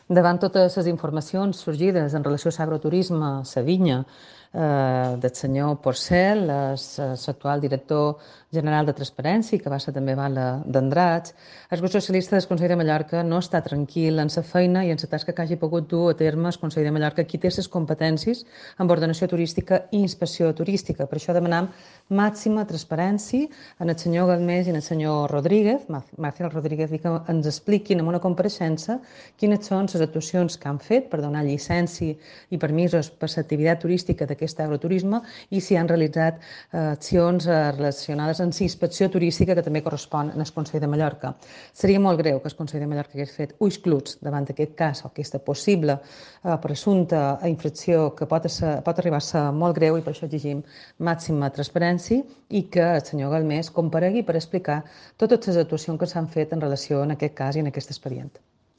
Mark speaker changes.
Speaker 1: Davant totes les informacions sorgides en relació a l'agroturisme a la vinya del senyor Porcel, l'actual director general de Transparència, que va ser també bala d'Andrats, el grup socialista del Consell de Mallorca no està tranquil en la feina i en la tasca que hagi pogut dur a terme el Consell de Mallorca, qui té les competències en ordenació turística i inspecció turística. Per això demanam màxima transparència en el senyor Galmés i en el senyor Rodríguez, Marcial Rodríguez, i que ens expliquin en una compareixença quines són les actuacions que han fet per donar llicència i permisos per l'activitat turística d'aquest agroturisme i si han realitzat accions relacionades amb la inspecció turística que també correspon al Consell de Mallorca. Seria molt greu que el Consell de Mallorca hagués fet ulls cluts davant d'aquest cas o aquesta possible presumpta infracció que pot arribar a ser molt greu, i per això exigim màxima transparència i que el senyor Galmés comparegui per explicar totes les actuacions que s'han fet en relació amb aquest cas i en aquest expedient.